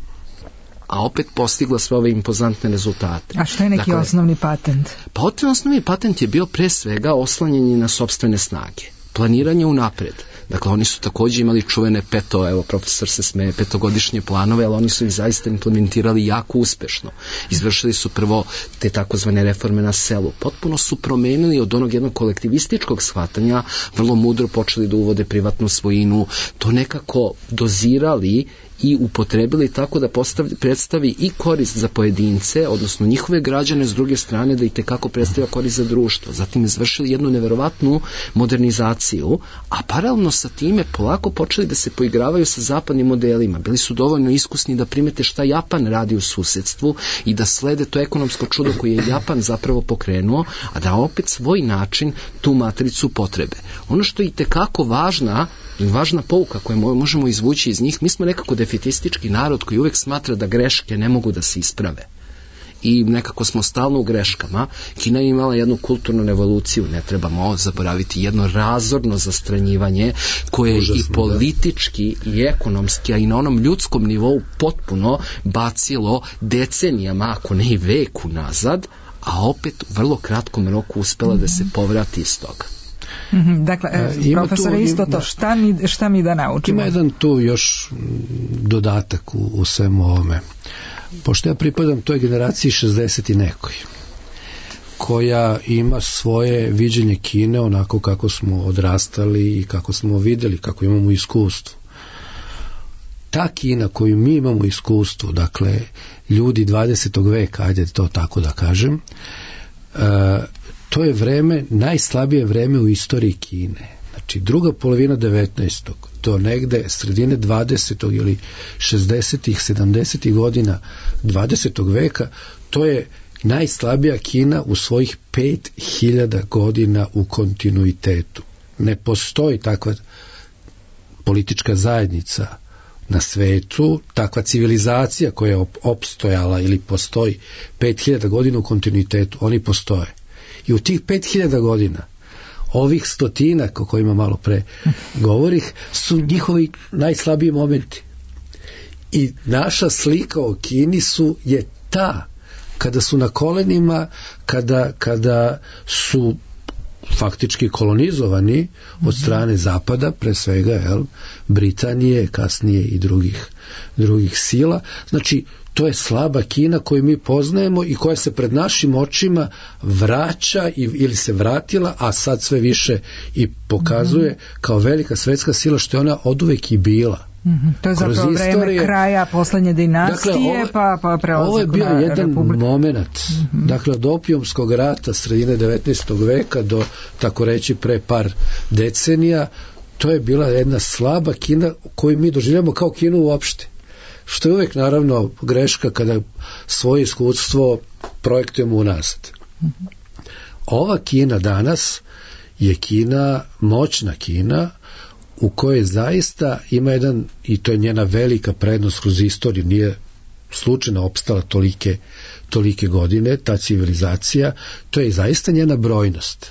a opet postigla sve ove impozantne rezultate. A što je neki dakle, osnovni patent? Pa osnovni patent je bio pre svega oslanjanje na sopstvene snage, planiranje unapred. Dakle, oni su također imali čuvene peto, evo, profesor se smeje, petogodišnje planove, ali oni su ih zaista implementirali jako uspešno. Izvršili su prvo te takozvane reforme na selu. Potpuno su promenili od onog jednog kolektivističkog shvatanja, vrlo mudro počeli da uvode privatnu svojinu, to nekako dozirali i upotrebili tako da postavi, predstavi i korist za pojedince, odnosno njihove građane, s druge strane da i tekako predstavlja korist za društvo. Zatim izvršili jednu neverovatnu modernizaciju, a paralelno sa time polako počeli da se poigravaju sa zapadnim modelima. Bili su dovoljno iskusni da primete šta Japan radi u susedstvu i da slede to ekonomsko čudo koje je Japan zapravo pokrenuo, a da opet svoj način tu matricu potrebe. Ono što je i tekako važna važna pouka koju možemo izvući iz njih, mi smo nekako defetistički narod koji uvek smatra da greške ne mogu da se isprave. I nekako smo stalno u greškama. Kina je imala jednu kulturnu evoluciju, ne trebamo zaboraviti, jedno razorno zastranjivanje koje je i politički i ekonomski, a i na onom ljudskom nivou potpuno bacilo decenijama, ako ne i veku nazad, a opet u vrlo kratkom roku uspela mm-hmm. da se povrati iz toga. Mm-hmm, dakle, e, profesore, isto to, šta mi, šta mi da naučimo? Ima jedan tu još dodatak u, u svemu ovome. Pošto ja pripadam toj generaciji šezdeset i nekoj, koja ima svoje viđenje Kine onako kako smo odrastali i kako smo vidjeli, kako imamo iskustvo. Ta Kina koju mi imamo iskustvo, dakle, ljudi dvadesetog veka, ajde to tako da kažem, uh, to je vreme, najslabije vreme u istoriji Kine. Znači, druga polovina devetnaestog do negde sredine dvadesetog ili šezdesetih, sedamdesetih godina dvadesetog veka, to je najslabija Kina u svojih pet hiljada godina u kontinuitetu. Ne postoji takva politička zajednica na svetu, takva civilizacija koja je opstojala ili postoji pet hiljada godina u kontinuitetu. Oni postoje. I u tih pet hiljada godina ovih stotinak o kojima malo pre govorih su njihovi najslabiji momenti. I naša slika o Kini su je ta kada su na kolenima, kada, kada su faktički kolonizovani od strane Zapada, pre svega jel, Britanije, kasnije i drugih, drugih sila. Znači, to je slaba Kina koju mi poznajemo i koja se pred našim očima vraća i, ili se vratila, a sad sve više i pokazuje mm-hmm. kao velika svetska sila, što je ona oduvek i bila. Mm-hmm. To je zapravo istorije, vreme kraja poslednje dinastije, dakle, ovo, pa, pa prelazak na ovo je bio jedan republik. moment, mm-hmm. dakle od opijumskog rata sredine devetnaestog veka do, tako reći, pre par decenija, to je bila jedna slaba Kina koju mi doživljamo kao Kinu uopšte. Što je uvijek naravno greška kada svoje iskustvo projektujemo unazad. Mm-hmm. Ova Kina danas je Kina, moćna Kina, u kojoj zaista ima jedan, i to je njena velika prednost kroz istoriju, nije slučajno opstala tolike, tolike godine, ta civilizacija, to je zaista njena brojnost.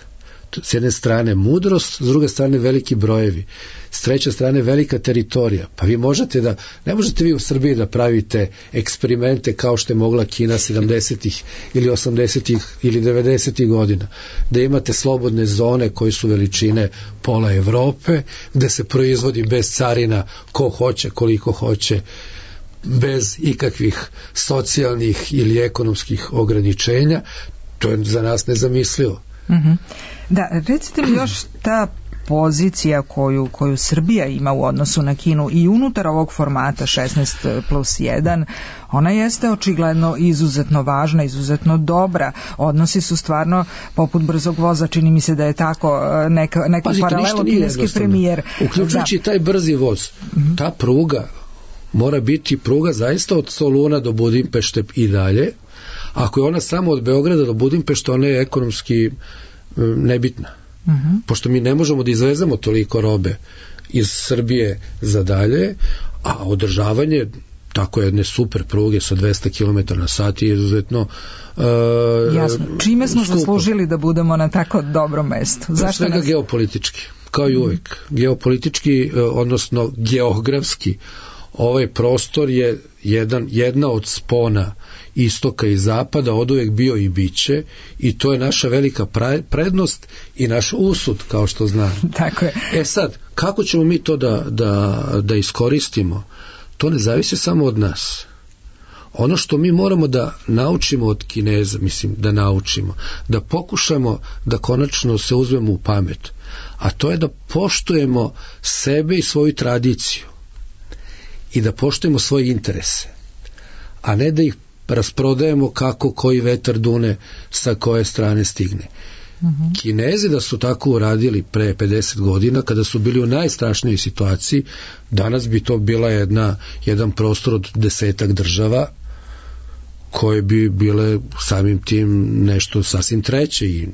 S jedne strane mudrost, s druge strane veliki brojevi, s treće strane velika teritorija. Pa vi možete da, ne možete vi u Srbiji da pravite eksperimente kao što je mogla Kina sedamdesetih ili osamdesetih ili devedesetih godina, da imate slobodne zone koje su veličine pola Evrope, gde se proizvodi bez carina ko hoće, koliko hoće, bez ikakvih socijalnih ili ekonomskih ograničenja. To je za nas nezamislivo. Mm-hmm. Da, recite mi još ta pozicija koju, koju Srbija ima u odnosu na Kinu i unutar ovog formata šesnaest plus jedan, ona jeste očigledno izuzetno važna, izuzetno dobra. Odnosi su stvarno poput brzog voza, čini mi se da je tako neka, neku Pazite, paralelu kineski premijer. Uključujući da. taj brzi voz, mm-hmm. ta pruga mora biti pruga zaista od Soluna do Budimpešte i dalje. Ako je ona samo od Beograda do Budimpešte, ona je ekonomski nebitna. Uh-huh. Pošto mi ne možemo da izvezemo toliko robe iz Srbije za dalje, a održavanje tako jedne super pruge sa dvesta kilometara na sat je izuzetno uh, jasno. Čime smo skupo. zaslužili da budemo na tako dobrom mestu? Zašto svega nas... geopolitički, kao i uvijek. Uh-huh. Geopolitički, odnosno geografski, ovaj prostor je jedan, jedna od spona istoka i zapada, oduvek bio i biće, i to je naša velika prednost i naš usud, kao što znam. Tako je. E sad, kako ćemo mi to da, da, da iskoristimo? To ne zavisi samo od nas. Ono što mi moramo da naučimo od Kineza, mislim da naučimo, da pokušamo da konačno se uzmemo u pamet, a to je da poštujemo sebe i svoju tradiciju i da poštujemo svoje interese, a ne da ih rasprodajemo kako koji vetar dune sa koje strane stigne. Mm-hmm. Kinezi da su tako uradili pre pedeset godina, kada su bili u najstrašnijoj situaciji, danas bi to bila jedna, jedan prostor od desetak država koje bi bile samim tim nešto sasvim treće, i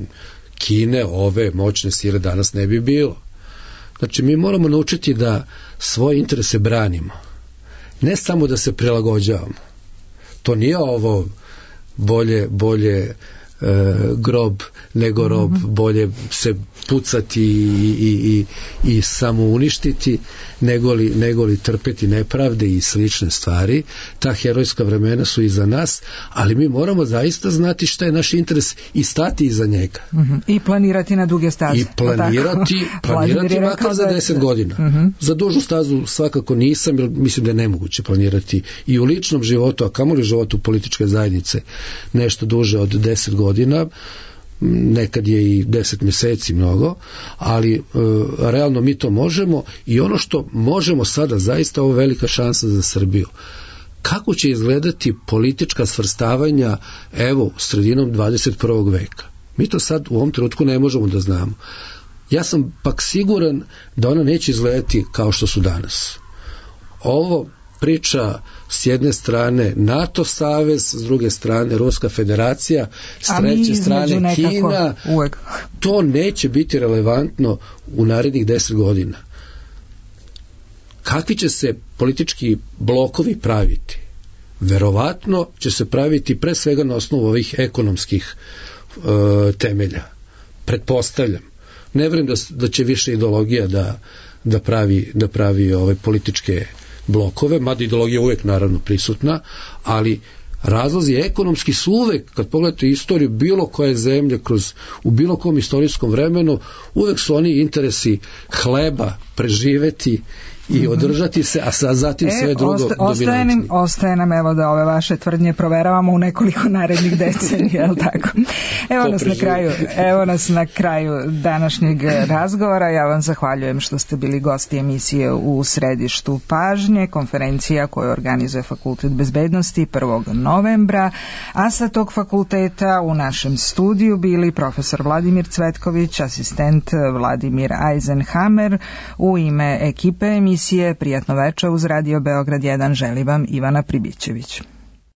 Kine, ove moćne sile danas ne bi bilo. Znači mi moramo naučiti da svoje interese branimo, ne samo da se prilagođavamo. To nije ovo bolje, bolje e, grob nego rob, mm-hmm. bolje se pucati i, i, i, i samo uništiti nego li, nego li trpeti nepravde i slične stvari. Ta herojska vremena su iza nas, ali mi moramo zaista znati šta je naš interes i stati iza njega. Mm-hmm. I planirati na duge staze. I planirati, planirati makar za deset godina. Mm-hmm. Za dužu stazu svakako nisam, jer mislim da je nemoguće planirati i u ličnom životu, a kamoli životu političke zajednice, nešto duže od deset godina. Nekad je i deset mjeseci mnogo, ali e, realno mi to možemo, i ono što možemo sada, zaista ovo velika šansa za Srbiju. Kako će izgledati politička svrstavanja, evo, sredinom dvadeset prvog veka? Mi to sad u ovom trenutku ne možemo da znamo. Ja sam pak siguran da ona neće izgledati kao što su danas. Ovo priča s jedne strane NATO savez, s druge strane Ruska federacija, s treće strane Kina, uvek. To neće biti relevantno u narednih deset godina. Kakvi će se politički blokovi praviti? Verovatno će se praviti pre svega na osnovu ovih ekonomskih e, temelja. Pretpostavljam. Ne vjerujem da, da će više ideologija da, da pravi, da pravi ove političke blokove, mada ideologija je uvijek naravno prisutna, ali Razlozi ekonomski su uvek, kad pogledate istoriju bilo koje zemlje kroz, u bilo kom istorijskom vremenu, uvek su oni interesi hleba, preživeti i održati se, a sa zatim e, sve drugo osta, ostaje, nam, ostaje nam evo da ove vaše tvrdnje proveravamo u nekoliko narednih decenija, jel tako? Evo nas, na kraju, evo nas na kraju današnjeg razgovora. Ja vam zahvaljujem što ste bili gosti emisije U središtu pažnje, konferencija koju organizuje Fakultet bezbednosti prvog novembra, a sa tog fakulteta u našem studiju bili profesor Vladimir Cvetković, asistent Vladimir Eisenhammer. U ime ekipe emisije Prijatno veče uz Radio Beograd jedan želi vam Ivana Pribićević.